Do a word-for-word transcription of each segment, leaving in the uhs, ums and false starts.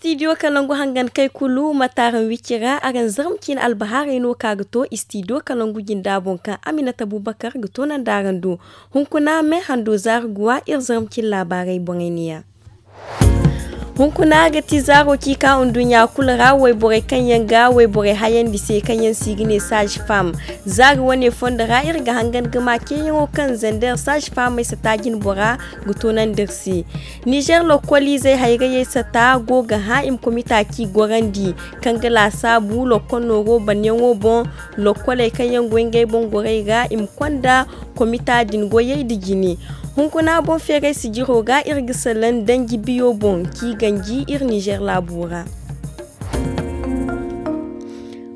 Istidiyo kalangu hangan kay kulu ma taaraŋ wicci ra araŋ zarma ciine albahaarey no ka ga to istidiyo kalangu jinda boŋ kaŋ aminata bubakar ga toonandi araŋ do. Hunkuna me hando zaari guwa iri zarma ciine laabaarey boŋey niya. Hunkuna ga ti zaaro ci ka nduɲɲa kulu ra wayborey kaŋ yaŋ ga wayborey hayandi se kaŋ yaŋ se i ga ne saazi faam. Zaari wane fondo ra iri ga hangan ga ma ceeyaŋo kaŋ zander saazi faamey sata jinbora ga toonandi iri se. Nizer lokkoliizey hayrayey sata go ga hã i ma komita ci gorandi kaŋ ga laasaabu lokkol nooro banyaŋo boŋ. Lokkoley kaŋ yaŋ go ngey boŋ gorey ra i ma konda komita din goyey nda jine. Hunkuna boŋ feeray sijiro ga iri ga salaŋ danji biyo boŋ k'i ganji iri nizer laabo ra.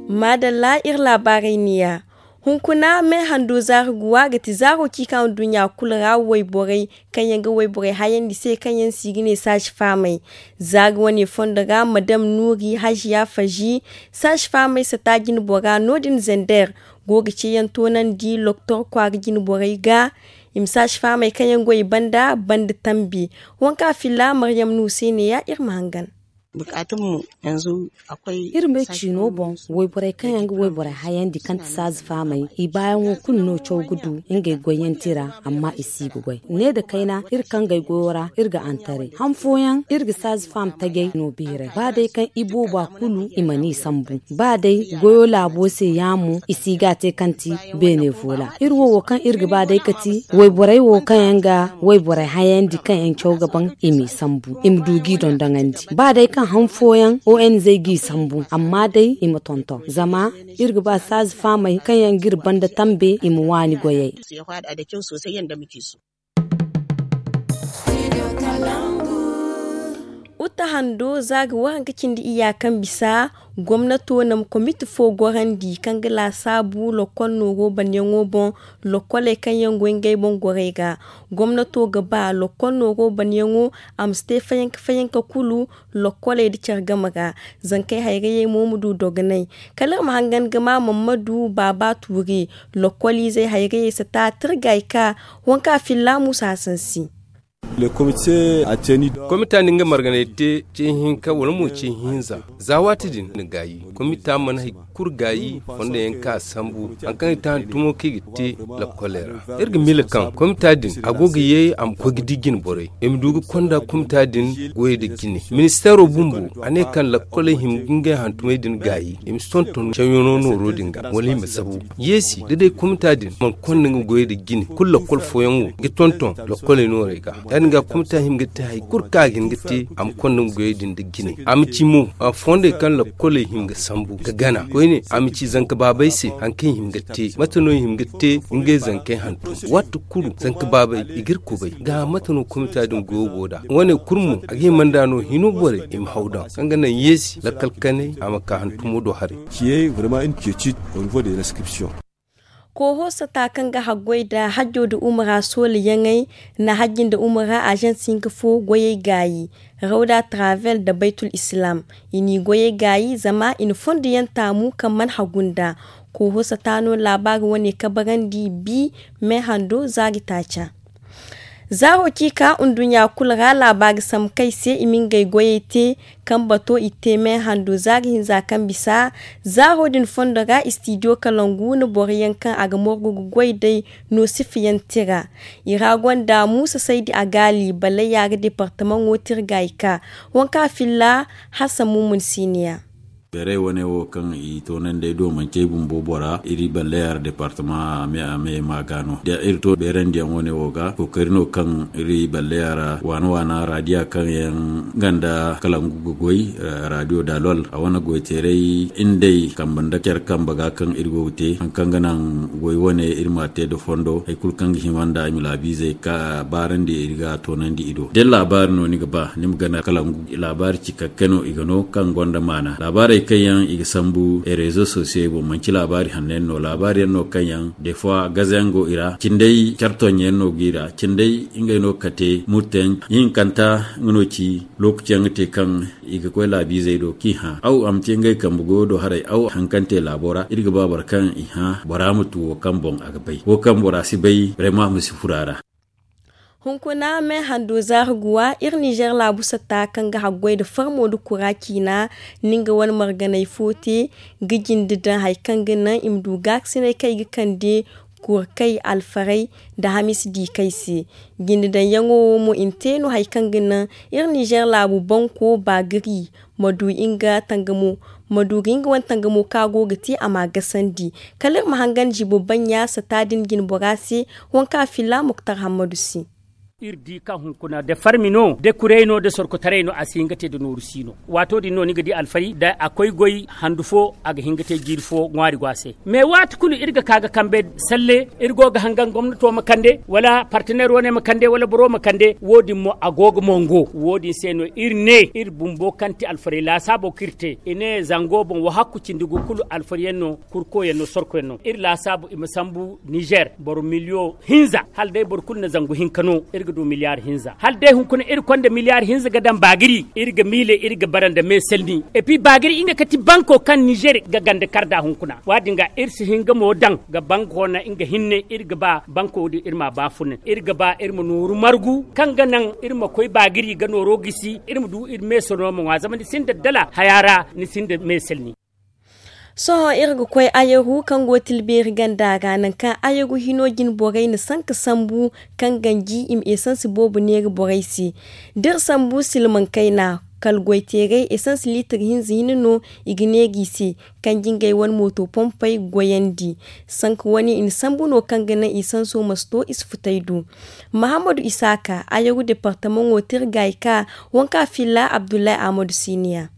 Maadalla iri laabaarey niya. Hunkuna me hando zaari guwa ga ti zaaro ci ka nduɲɲa kulu ra wayborey kaŋ yaŋ ga wayborey hayandi se kaŋ yaŋ se i ga ne saazi faamey. Zaari wane fondo ra madam nuuri haziya fazi saazi faamey sata jinbora no- din zander go ga ceeyaŋ toonandi loktor kwaara jinborey ga. I ma saazi faamey kaŋ yaŋ go i banda banda tambi. Wanka filla maryam nuuse neeya iri ma hangan. Iri me ciino boŋ wayborey kaŋ yaŋ ga wayborey hayandi kaŋ ti saazi faamey i baayaŋo kulu no caw ga du ngey goyyanti ra. Amma i si ga goy ne nda kayna iri kaŋ gay goyo ra iri ga antaray han fooyaŋ iri ga saazi faam tajay no biiray ba day kaŋ i booba kulu i mana i sambu. Ba day goyo laabo se yaamo i si ga a te kaŋ ti beene foola iri wo wo kaŋ iri ga ba day ga ti wayborey wo kaŋ yaŋ ga wayborey hayandi kaŋ yaŋ caw ga baŋ i m'i sambu i ma du g'i dondoŋandi ba day kaŋ han fooyaŋ o n z g'i sambu amma day i ma tonton zama iri ga ba saazi faamey kaŋ yaŋ ga iri banda tambe i ma waani goyey. Uta hando za ga waranka cindi iyya kaŋ bisa gomnato na ma komiti fo gorandi kaŋ ga laasaabu lokkol nooro banyaŋo boŋ. Lokkoley kaŋ yaŋ go ngey boŋ gorey ga gomnato ga ba lokkol nooro banyaŋo a ma si te fayanka fayanka kulu lokkoley nda care game ra. Zankey hayrayey mo ma du dogonay kala iri ma hangan ga ma mammadu baaba tuuri lokkoliizey hayrayey si ta tirgay ka wanka filla muusa hasan se. Komita din ga marganay te ce hinka wala mo ce hinza za waati din na gaayi. Komita mana hay kulu gaayi fondo yaŋ ka sambu hari kaŋ i ta hantumo kaŋ i ga te lakkoley ra. Iri ga miila kaŋ komita din a go ga ye a ma koy ga di jine borey i ma du ga konda komita din goyey nda jine. Ministeero bumbo a ne kaŋ lakkoley hima ga ngey hantumey din gaayi i ma si tonton cawyaŋo nooro din ga wala i ma sabu. Yeesi da day komita din mana konda nga goyey nda jine kulu lakkol fooyaŋ wo ga tonton lakkoley noorey ga. Ya- din ga komita hima ga te hari kulu kaŋ a ga hin ga te a ma konda nga goyey din nda jine a ma ci mo fondey kaŋ lakkoley hima ga sambu ga gana koyne a ma ci zanka baabey se hari kaŋ i hima ga te mate no i hima ga te ngey zankey hantum. Waati kulu zanka baabey i ga iri kubay ga mate no komita din goyo go nd'a wane kulu mo a ga hima nd'a no hino borey i ma haw daŋ kaŋ ga naŋ yeesi lakkal kanay a ma ka hantumo do haray. Ciyey vraiment une quiétude au niveau de l'inscription. Kooho sata kaŋ ga haggoy nda hajjo nda umura soola yaŋey na hajji nda umura ažans hinka fo goyey gaayi rawda travel nda baytul islam. I n'i goyey gaayi zama i na fondo yaŋ taamu kaŋ mana hagu nd'a. Kooho sata no laabaari wane kabarandi bi me hando zaari taaca. Zaaro ci ka nduɲɲa kulu ra laabaari sambu kaŋ i se i ma ngey goyey te kaŋ bato i te me hando zaari hinza kaŋ bisa. Zaaro din fondo ra istidiyo kalangu na boro yaŋ kaŋ a ga morgu ga goy day no sifa yaŋ tira. I ra gonda muusa saydi agaali ballayya ga departamaŋo tira ga i ka wanka filla. Hasan mumun siniya. Beeray wane wo kaŋ i toonandi ay do manci ay bumbo bora iri ballayara departama a me a me ma ga no da iri to beerandiyaŋ wane wo ga kookari no kaŋ iri ballayara waana waana radiya kaŋ yaŋ ganda kalangu ga goy. Radiyo dalol a wane goyteeray indey kambe nda care kambe ga kaŋ iri go ga te hari kaŋ ga naŋ goy wane iri ma te nda fondo hari kulu kaŋ ga hima nda ay ma laabiizey ka baarandi iri ga toonandi i do da laabaari no ni ga ba ni ma gana kalangu laabaari cikakke no i ga no kaŋ gonda maana laabaarey kaŋ yaŋ i ga sambu rezo sosiyey boŋ manci laabaari hanno yaŋ no laabaari yaŋ no kaŋ yaŋ defois gaza yaŋ go i ra cindey care tonɲe yaŋ no go i ra cindey ngey no ga kate murte yaŋ hinkanta nga no ci lookaci yaŋ ga te kaŋ i ga koy laabiizey do kaŋ i hã aw a ma te ngey kambe goyo do haray aw hari kaŋ te laabo ra iri ga ba boro kaŋ i hã bora ma tu wo kaŋ boŋ a ga bay wo kaŋ bora si bay brema a ma si furo a ra. Hunkuna me hando zaari guwa iri nizer laabu satta kaŋ ga haggoy nda farmo nda kura ciina, ni nga wane marganay fo te ga jinde daŋ hari kaŋ ga naŋ i ma du gaakasinay kaŋ i ga kande kura kay alfaray nda hamiisi di kay se. Jinde daŋyaŋo wo mo i na te no hari kaŋ ga naŋ iri nizer laabu banko baagari ma du nga tangamo ma du ga nga wane tangamo kaŋ a go ga te a m'a gasandi. Kala iri ma hangan zibo bannya satta din jine bora se, waŋ kaŋ a filla muktar hammadu se. Iri di kaŋ hunkuna da farmi no da kuray no da sorkotaray no a si hin ga te da nooru si no. Waato din no ni ga di alfari da a koy goy handu fo a ga hin ga te jiiri fo ŋwaari go a se. Mais waati kulu iri ga ka ga kambe salle iri go ga hangan gomnato ma kande wala partenaire wane ma kande wala boro ma kande wo- din mo a go ga mongo wo- din se no iri ne iri bumbo kaŋ ti alfarey laasaabo kaŋ iri te i ne zango boŋ wo hakku cindi gu kulu alfariyaŋ no. Kurkoyaŋ no sorkoyaŋ no iri laasaabu i ma sambu nizer boro miliyo hinza hala day boro kulu na zangu hinka no iri ga du miliyar hinza hala day hunkuna iri konda miliyar hinza ga daŋ baagiri iri ga miile iri ga bara nda meesalni. Epi baagiri nga kati banko kaŋ nizer ga ganda kar nd'a hunkuna waadin ga iri si hin ga mo daŋ ga banko na nga hinne iri ga ba banko din iri m'a baafunay iri ga ba iri ma nooru margu kaŋ ga naŋ iri ma koy baagiri ga nooro gisi iri ma du iri meeso no ma ŋwa zama ni sinda dala haya ra ni sinda meesalni. Sohõ iri ga koy ayaru kaŋ go tilbeeri ganda ra nangu kaŋ ayaru hino jine borey na sanka sambu kaŋ ganji i ma esansi boobo neeri borey se. Da iri sambu silmaŋ kayna kala goyteerey esansi liitir hinza hinne no i ga neeri i se. Kaŋ jingey wane mooto pompey goyandi sanka wane i na sambu no kaŋ ga naŋ esanso ma si to i si futay du. Mahammadu isaaka ayaru departamaŋo tirgay ka waŋ kaŋ a filla abdullahi ahmadu siniya.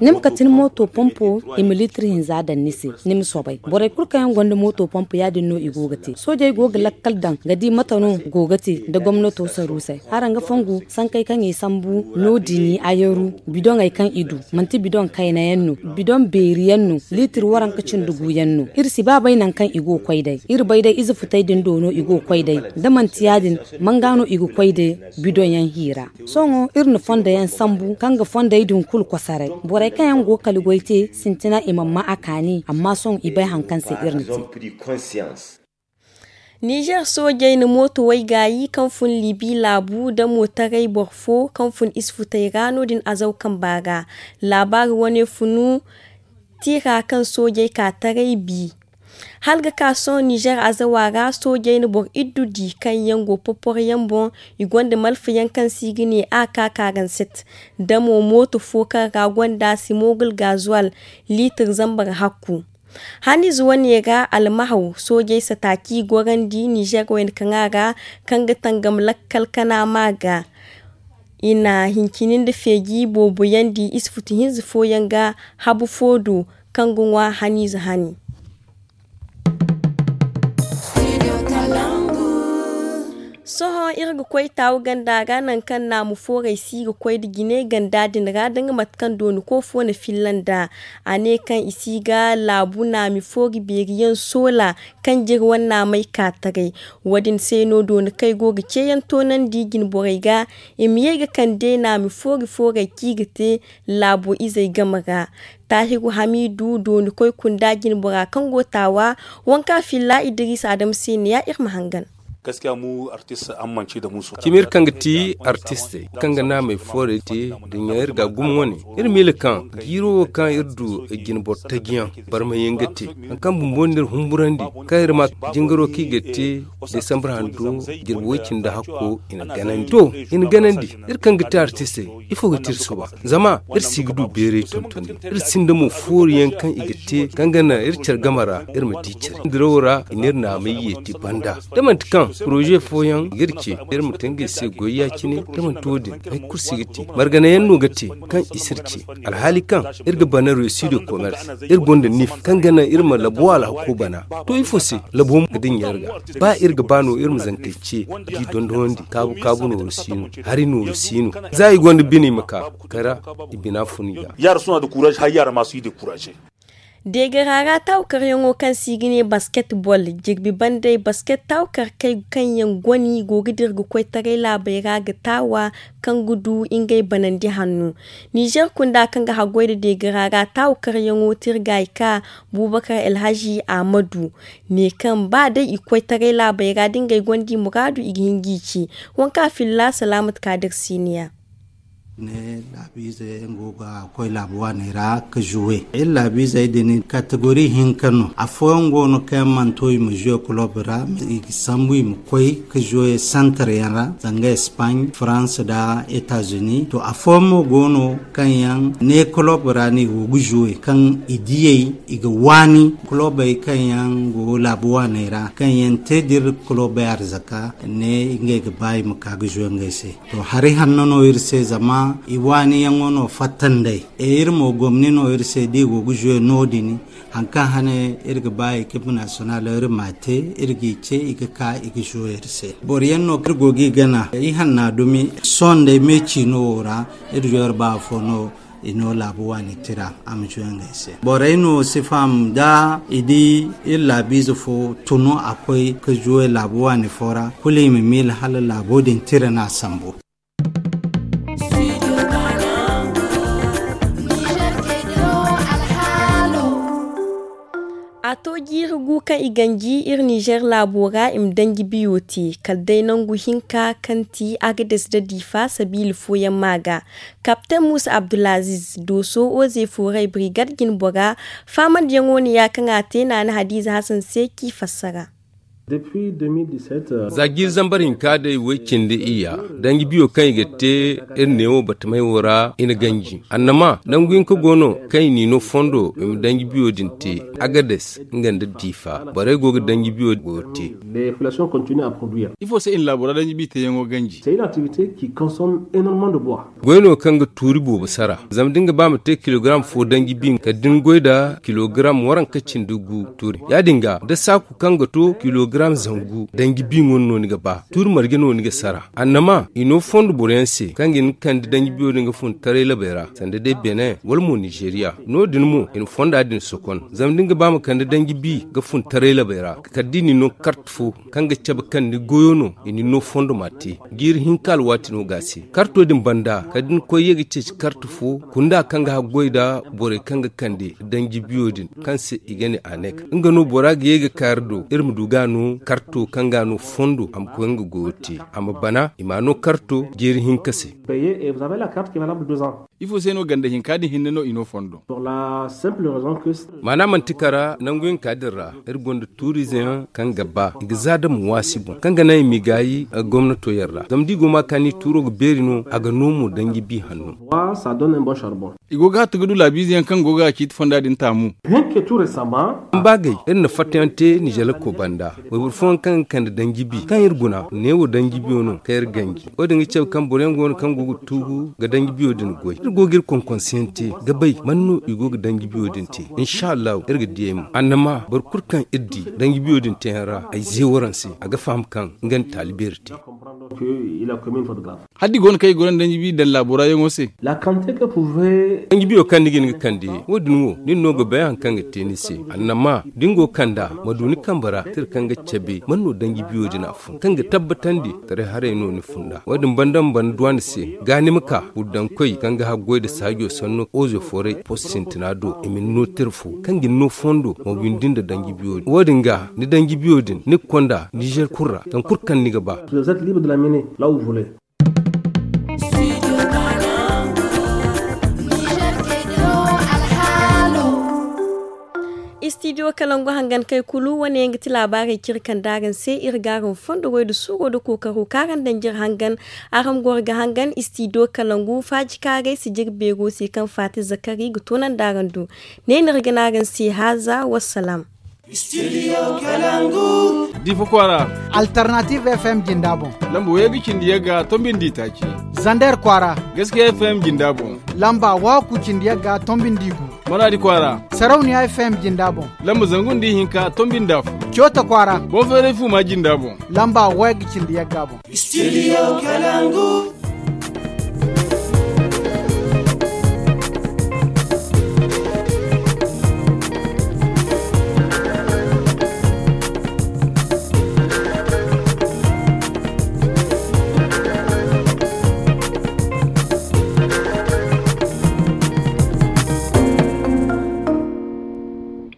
Ni ma kati ni mooto pompo i ma liitir hinza daŋ ni se. Ni ma soobay borey kulu kaŋ yaŋ gonda mooto pompo ya- din no i go ga te soojey go ga lakkal daŋ ga di mate no go ga te nda gomnato saruusey haraŋ ga fongu sankey kaŋ i sambu no- din i ayaru bidoŋey kaŋ i du manti bidoŋ kayna yaŋ no bidoŋ beeri yaŋ no liitir waranka cindi gu yaŋ no. Iri si ba bay nangu kaŋ i go ga koy day iri bay day ize futey din do no i go ga koy day da manti ya- din manga no i ga koy day bidoŋ yaŋ hiira. Sohõ iri na fondo yaŋ sambu kaŋ ga fondey din kulu kosoray borey kaŋ yaŋ go ga kala goy te sintina i mana ma a kaani amma sohõ i bay hari kaŋ se iri na te. Nizer soojey na mooto waygaayi kaŋ fun libi laabu da mootaray boro fo kaŋ fun isfutey ra no- din azaw kamba ra. Laabaari wane funu tira kaŋ soojey ka taray bi. Hala ga ka sohõ nizer azawa ra soojey na boro iddu di kaŋ yaŋ go poporoyaŋ boŋ. I gonda malfayaŋ kaŋ se i ga ne a ka karanset da mo mooto fo kaŋ ra gonda simogul gazuwal liitir zambar hakku. Haniize wane ra almahaw soojey sata k'i gorandi nizer wayna kaŋa ra kaŋ ga tangam lakkal kana ma ga. I na hincini nda feeji boobo yaŋ di ize futu hinza fooyaŋ ga habu fo do kaŋ ga ŋwa haniize hani. Sohõ iri ga koy taawu ganda ra nangu kaŋ naamu foorey si ga koy nda jine ganda din ra da nga mate kaŋ dooni koofo na filla nd'a. A ne kaŋ i si ga laabu naami foori beeri yaŋ soola kaŋ jiri wane naamey ka taray. Wo- din se no dooni kaŋ i go ga ceeyaŋ toonandi jine borey ga i ma ye ga kande naami foori foorey kaŋ i ga te laabo izey game ra. Taahiru hamiidu dooni koy kunda jine bora kaŋ go taawa. Waŋ kaŋ a filla idiriisa adama se ne ya iri ma hangan. Cimi iri kaŋ ga ti artistey kaŋ ga naamey foorey te da ɲaŋ iri ga a gumo wane. Iri miila kaŋ jiiro wo kaŋ iri du jine boro taji yaŋ barmay yaŋ ga te hari kaŋ bumbo no iri humburandi kaŋ iri ma jingaro kaŋ i ga te desambar hando jirbi way cindi hakko i na ganandi to i na ganandi. Iri kaŋ ga te artistey ifo ga te iri suba zama iri si ga du beeray tontoni. Iri sinda mo foori yaŋ kaŋ i ga te kaŋ ga naŋ iri care game ra iri ma di care dirawo ra i ne iri naamay yeeti banda da manti kaŋ poroze fooyaŋ i ga iri ce iri ma te ngey se goy ya- cine da manti wo- din hari kulu si ga te margana yaŋ no ga te kaŋ i si iri ce. Alhaali kaŋ iri ga bana reçu de commerce iri gonda nif kaŋ ga naŋ iri ma labo alhako bana. To ifo se labo ma ga dinya iri ga ba iri ga ba no iri ma zankey ce. Ji dondonandi kaabu kaabu nooru si no hari nooru si no. Za i gonda bine i ma ka kara i bina fun i ga. Yaara suna da kuraaz hari yaara ma si de kuraaz. Deegara ra taawukaryaŋo kaŋ se i ga ne basketbol, jirbi bandey basket taawukarkey kaŋ yaŋ goni go ga dira ga koy taray laabey ra ga taawa kaŋ ga du ngey banandi hanno. Nizer kunda kaŋ ga haggoy nda deegara ra taawukaryaŋo tirgay ka Bubakar Elhaji Amadu ne kaŋ ba day i koy taray laabey ra da ngey gonda i muraadu i ga hin g'i ci. Wanka filla Salaamat Kaadir Siniya. Ne laabiize yaŋ go ga koy laabu waaney ra ka juwe. Iri laabiizey din kategori hinka no. Afooyaŋ go no kaŋ yaŋ mana to i ma juwe kulob ra, i ga sambu i ma koy ka juwe santar yaŋ ra, zanga Espagne, France nda États-Unis. To, afooyaŋ mo go no kaŋ yaŋ ne kulob ra no i go ga juwe, kaŋ i diyey i ga waani kulobey kaŋ yaŋ go laabu waaney ra, kaŋ yaŋ te da iri kulobey arzaka ne ngey ga ba i ma ka ga juwe ngey se. To, hari hanno no iri se, zama i waaniyaŋo no fatta nd'ey. E, iri mo, gomni no iri se da i go ga juwe no-din. Haŋ kaŋ hane iri ga ba ekipe nasiyonal iri m'a te, iri g'i ce i ga ka i ga juwe iri se. Boro yaŋ no kaŋ iri go g'i gana, i hanna dumi sohõ nd'ey me ciino wo ra, iri juwe iri ba afo no, i no laabu waani tira a ma juwe ngey se. Borey no si faham da i di iri laabiize fo tunu a koy ka juwe laabu waani fo ra, kulu i ma miila hala laabo din tira no a sambu. A to jiiri gu kaŋ i ganji iri Nizer laabo ra i ma danji biyo te, kala day nangu hinka kaŋ ti Agades nda Difa sabiila fooyaŋ ma ga. Kapten Musa Abdulaziz, Dooso Oze Fooray Birigad jinbora, faamandiyaŋo ne ya kaŋ a te Naana Hadiza Hasan se k'i fassara. Za jiiri zambar hinka day way cindi iyya, danji biyo kaŋ i ga te iri neewo batamey wo ra i na ganji. Annama nangu hinka go no kaŋ i n'i no fondo i ma danji biyo din te. Agades nga nda Difa borey go ga danji biyo go te. Ifo se i na laabo ra danji bi teeyaŋo ganji? Goy no kaŋ ga tuuri boobo sara. Zama da ni ga ba ma te kilogaram fo danji bi kala da ni goy nda kilogaram waranka cindi gu tuuri. Ya-din ga da saaku kaŋ ga to kilogaram zangu danji bi ŋun no ni ga ba, tuuri marje no ni ga sara. Annama i no fondo boroyaŋ se kaŋ ga hin ga kande danji biyo din ga fun taray labey ra, sanda day Benin wala mo Nizeriya. No-din mo i na fonda din sokon. Zama da ni ga ba ma kande danji bi ga fun taray labey ra, kala da i n'i no karta fo kaŋ ga cabe kaŋ ni goyo no, i n'i no fondo m'a te. Jiiri hinka alwaati no ga a se. Karto din banda kala da ni koy ye ga ceeci karta fo kunda kaŋ ga haggoy nda borey kaŋ ga kande danji biyo din kaŋ se i ga ne anek. Nga no bora ga ye ga ka iri do iri ma du ga no karto kaŋ ga no fondo a ma koy nga goyo te, a ma bana i m'a no karto jiiri hinka se. Ifo se no ganda hinka din hinne no i no fondo? Maana manti kara nangu hinka din ra iri gonda tuurizeyaŋ kaŋ ga ba i ga za da ma waasi boŋ kaŋ ga naŋ i m'i gaayi gomnato yaŋ ra. Zama da i go ma kaani tuuro ga beeri no a ga no mo danji bi hanno. I go ga hatti ga du laabiize yaŋ kaŋ go ga ciiti fonda din taamu. Ba gay iri na fattayaŋ te nizelako banda wayboro fooyaŋ kaŋ ga kande danji bi kaŋ iri guna neewo danji biyo no kaŋ iri ganji. Wo-din ga cabe kaŋ boroyaŋ go no kaŋ go ga tuugu ga danji biyo din goy. Iri go ga iri konkonseyaŋ te ga bay man no i go ga danji biyo din te. Insa allahu iri ga diyey mo annama boro kulu kaŋ iri di danji biyo din teyaŋ ra ay ze waraŋ se a ga faham kaŋ nga na taali beeri te. Haddi go no kaŋ i goro nda danji bi daŋ laabo ra yaŋo se. Danji biyo kaŋ ni ga hin ga kande wo-din wo nin no ga bay haŋ kaŋ ga te ni se. Annama da ni go ga kand'a ma du ni kambe ra tira kaŋ ga cabe man no danji biyo din a fun kaŋ ga tabbatandi taray haray no ni funda wo-din banda ma bana duwandi se ga ni ma ka wuddankoy kaŋ ga haggoy nda saajo sanno ozo fooray post sintina do i ma ni no tira fo kaŋ ga ni no fondo ma windi nda danji biyo din wo-din ga ni danji biyo din ni ga konda nizer kulu ra kaŋ kulu kaŋ ni ga ba. Istidiyo kalangu hangan kay kulu wane yaŋ ga ti laabaarey kaŋ iri kande araŋ se iri ga araŋ fondo goy nda suuro nda kookaro kaŋ araŋ daŋ jire hangan. Araŋ goro ga hangan istidiyo kalangu faaji kaarey si jire beero se kaŋ faati zakari ga toonandi araŋ do. Ne no iri ga ne araŋ se haaza wassalaam. Difa kwaara. Alternative F M jinda boŋ. Lamba way ga cindi yagga tombi nda itaaci. Zander kwaara. Gaskiya F M jinda boŋ. Lamba waaku cindi yagga tombi nda igu. Manaadi kwaara. Sarauniya F M jinda boŋ. Lamba zangu nda ihinka tombi nda afo. Coota kwaara. Boŋ feeray fuuma jinda boŋ. Lamba way ga cindi yagga boŋ. Studio Kalangu.